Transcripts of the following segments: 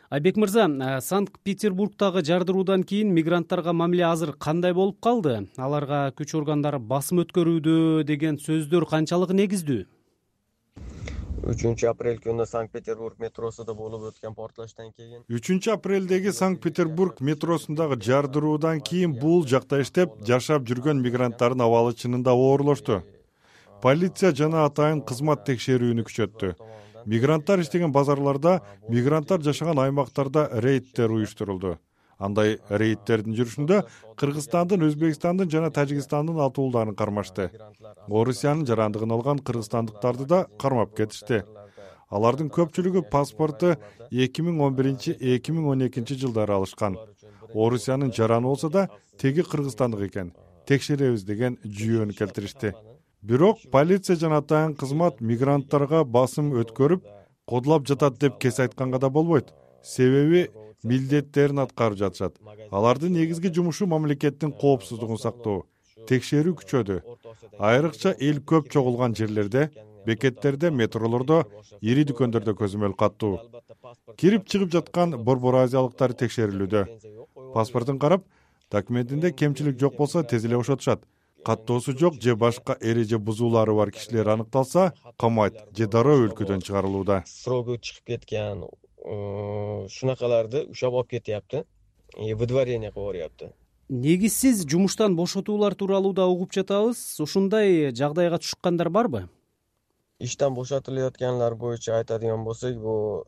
Айбек мырза, Санкт-Петербургдагы жардыруудан кийин мигранттарга мамиле азыр кандай болуп калды? Аларга күч органдары басым өткөрүүдө деген сөздөр канчалык негиздүү? 3-апрель күнү Санкт-Петербург метросунда болуп өткөн портлаштан кийин 3-апрелдеги Санкт-Петербург метросундагы жардыруудан кийин бул жакта иштеп жашап жүргөн мигранттардын абалы чынында оорлошту. Полиция жана атайын кызмат текшерүүнү күчөттү. Мигранттар иштеген базарларда, мигранттар жашаган аймактарда рейдтер уюштурулду. Андай рейдтердин жүрүшүндө Кыргызстандын, Өзбекстандын жана Тажикстандын атуулдарын кармашты. Орусиянын жарандыгын алган кыргызстандыктарды да кармап кетишти. Алардын көпчүлүгү паспорту 2011-2012 жылдары алышкан. Орусиянын жараны болсо да теги кыргызстандык экен. Текшеребиз деген жүйөнү келтиришти. Бирок полиция жана атайын кызмат мигранттарга басым өткөрүп, кодулап жатат деп кес айтканга да болбойт. Себеби милдеттерин аткарып жатышат. Алардын негизги жумушу мамлекеттин коопсуздугун сактоо. Текшерүү күчөдү. Айрыкча эл көп чогулган жерлерде, бекеттерде, метролордо, ири дүкөндөрдө көзөмөл каттуу. Кирип чыгып жаткан борбор азиялыктар текшерилүүдө. Паспортун карап, документинде кемчилик жок болсо тез эле бошотушат. Каттоосу жок же башка эреже бузуулары бар кишилер аныкталса, камайт же дароо өлкөдөн чыгарылууда. Срогу чыгып кеткен шунакаларды ушап алып кетяпты. Выдворение кылып беряпты. Негизсиз жумуштан бошотуулар тууралуу да угуп жатабыз. Ушундай жагдайга түшкөндөр барбы? Иштен бошотулуп аткандар боюнча айтадыган болсок, бул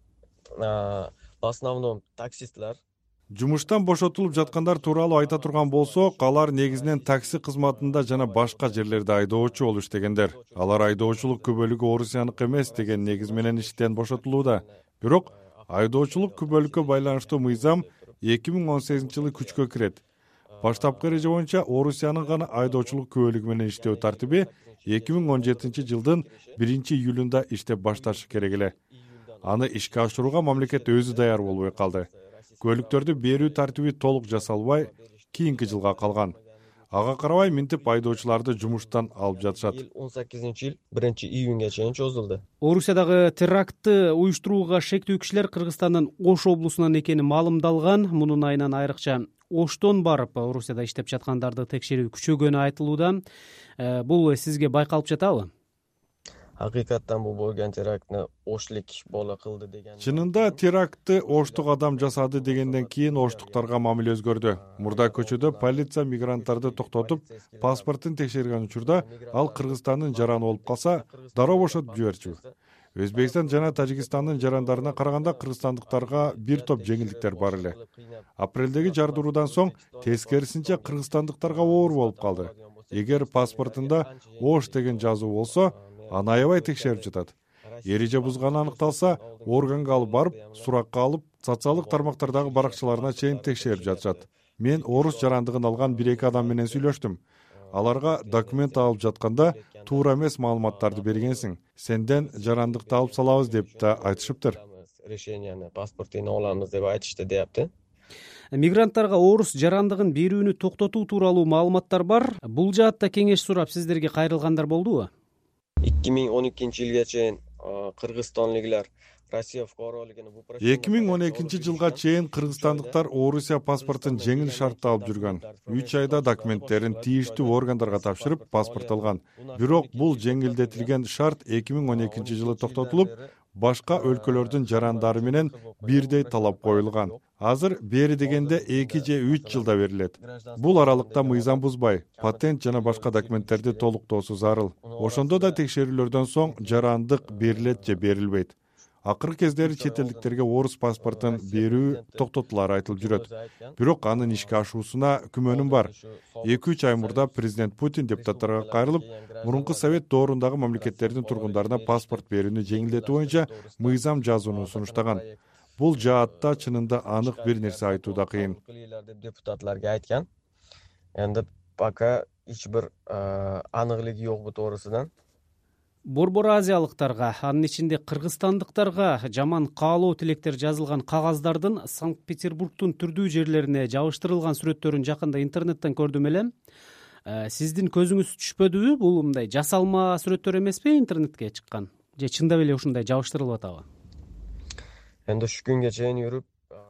в основном таксистлер. Жумуштан бошотулуп жаткандар тууралуу айта турган болсок, алар негизинен такси кызматында жана башка жерлерде айдоочу болуп иштегендер. Алар айдоочулук күбөлүгү орусияныкы эмес деген негиз менен иштен бошотулууда. Бирок айдоочулук күбөлүккө байланыштуу мыйзам 2018-жылы күчкө кирет. Баштапкы эреже боюнча Орусиянын гана айдоочулук күбөлүгү менен иштөө тартиби 2017-жылдын 1-июлунда иштеп башташы керек эле. Аны ишке ашырууга мамлекет өзү даяр болбой калды. Көлүктөрдү берүү тартиби толук жасалбай, кийинки жылга калган. Ага карабай минтип айдоочуларды жумуштан алып жатышат. 18-жыл 1-июнга чейин чозулду. Орусиядагы терактты уюштурууга шектүү кишилер Кыргызстандын Ош облусунан экени маалымдалган. Мунун айынан айрыкча Оштон барып, Орусияда иштеп жаткандарды текшерүү күчөгөнү айтылууда. Бул сизге байкалып жатабы? Hakikaten bu bo'lgan teraktni Oshlik bola qildi degan. Чынында терактты Оштук адам жасады дегенден кийин оштуктарга мамиле өзгөрдү. Мурда көчөдө полиция мигранттарды токтотуп, паспортун текшерген учурда ал Кыргызстандын жараны болуп калса, дароо бошотуп жиберчү. Өзбекстан жана Тажикстандын жарандарына караганда кыргызстандыктарга бир топ жеңилдиктер бар эле. Апрелдеги жардыруудан соң тескерисинче кыргызстандыктарга оор болуп калды. Эгер паспортунда Ош деген жазуу болсо, аны аябай текшерип жатат. Эреже бузганы аныкталса, органга алып барып, суракка алып, социалдык тармактардагы баракчаларына чейин текшерип жатышат. Мен орус жарандыгын алган 1-2 адам менен сүйлөштүм. Аларга документ алып жатканда туура эмес маалыматтарды бергенсиң. Сенден жарандыкты алып салабыз деп да айтышыптыр. Решенияны, паспортун алабыз деп айтышты депти. Мигранттарга орус жарандыгын берүүнү токтотуу тууралуу маалыматтар бар. Бул жаатта кеңеш сурап сиздерге кайрылгандар болдубу? 2012-жылга чейин кыргызстанлыклар Россия фукаралыгын 2012-жылга чейин кыргызстандыктар Орусия паспортун жеңил шартта алып жүргөн. 3 айда документтерин тийиштүү органдарга тапшырып, паспорт алган. Бирок бул жеңилдетилген шарт 2012-жылы токтотулуп, башка өлкөлөрдүн жарандары менен бирдей талап коюлган. Азыр бери дегенде 2 же 3 жылда берилет. Бул аралыкта мыйзам бузбай, патент жана башка документтерди толуктоосу зарыл. Ошондо да текшерүүлөрдөн соң жарандык берилет же берилбейт. Акыркы кездери чет элдиктерге орус паспортун берүү токтотулары айтылып жүрөт. Бирок анын ишке ашуусуна күмөнүм бар. 2-3 ай мурда президент Путин депутаттарга кайрылып, мурунку совет доорундагы мамлекеттердин тургундарына паспорт берүүнү жеңилдетүү боюнча мыйзам жазууну сунуштаган. Бул жаатта чынында анык бир нерсе айтуу да кыйын. Депутатларга айткан. Эndi пока эч бир аныклык жок бу тоорусунан. Борбор азиялыктарга, анын ичинде кыргызстандыктарга жаман каалоо тилектер жазылган кагаздардын Санкт-Петербургдун түрдүү жерлерине жабыштырылган сүрөттөрүн жакында интернеттен көрдүм эле. Сиздин көзүңүз түшпөдүбү? Бул мындай жасалма сүрөттөр эмеспи интернетке чыккан? Же чындап эле ушундай жабыштырылып атабы? Эndi şu күнгө чейин жүрүп,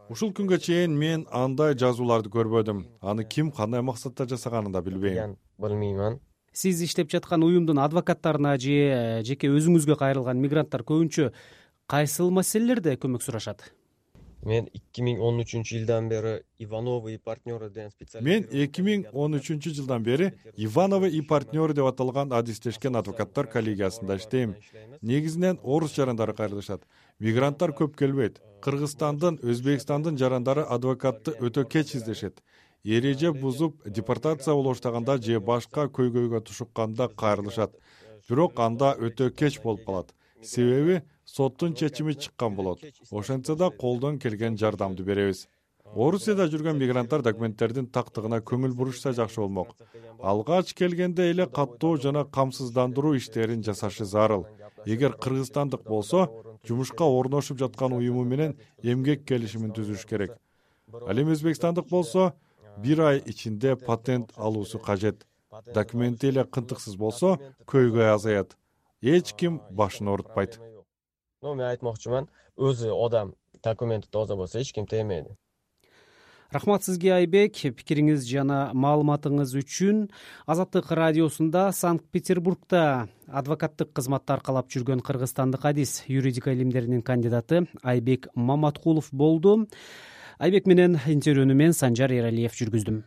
Ушул күнгө чейин мен андай жазууларды көрбөдүм. Аны ким кандай максатта жасаганын да билбейм. Билмеймин. Сиз иштеп жаткан уюмдун адвокаттарына же жеке өзүңүзгө кайрылган мигранттар көбүнчө кайсыл маселелерде көмөк сурашат? Мен 2013-жылдан бери Ивановы и партнеры деген Мен 2013-жылдан бери Ивановы и партнеры деп аталган адистешкен адвокаттар коллегиясында иштейм. Негизинен орус жарандары кайрылышат. Мигранттар көп келбейт. Кыргызстандын, Өзбекстандын жарандары адвокатты өтө кеч издешет. Эреже бузуп, депортация боло баштаганда же башка көйгөйгө тушукканда кайрылышат. Бирок анда өтө кеч болуп калат. Себеби соттун чечими чыккан болот. Ошентсе да колдон келген жардамды беребиз. Орусияда жүргөн мигранттар документтердин тактыгына көңүл бурушса жакшы болмок. Алгач келгенде эле каттоо жана камсыздандыруу иштерин жасашы зарыл. Эгер кыргызстандык болсо, жумушка орношуп жаткан уюму менен эмгек келишимин түзүш керек. Ал эми өзбекстандык болсо, 1 ай ичинде патент алуусу кажет. Документи эле кынтыксыз болсо, көйгөй азаят. Эч ким башын оорутпайт. Мен айтмакчымын, өзү адам документи тоза болсо эч ким тиймейди. Рахмат сизге, Айбек, пикириңиз жана маалыматыңыз үчүн. Азаттык радиосунда Санкт-Петербургда адвокаттык кызматты аркалап жүргөн кыргызстандык адис, юридика илимдеринин кандидаты Айбек Маматкулов болду. Айбек менен интервьюну мен Санжар Эралиев жүргүздүм.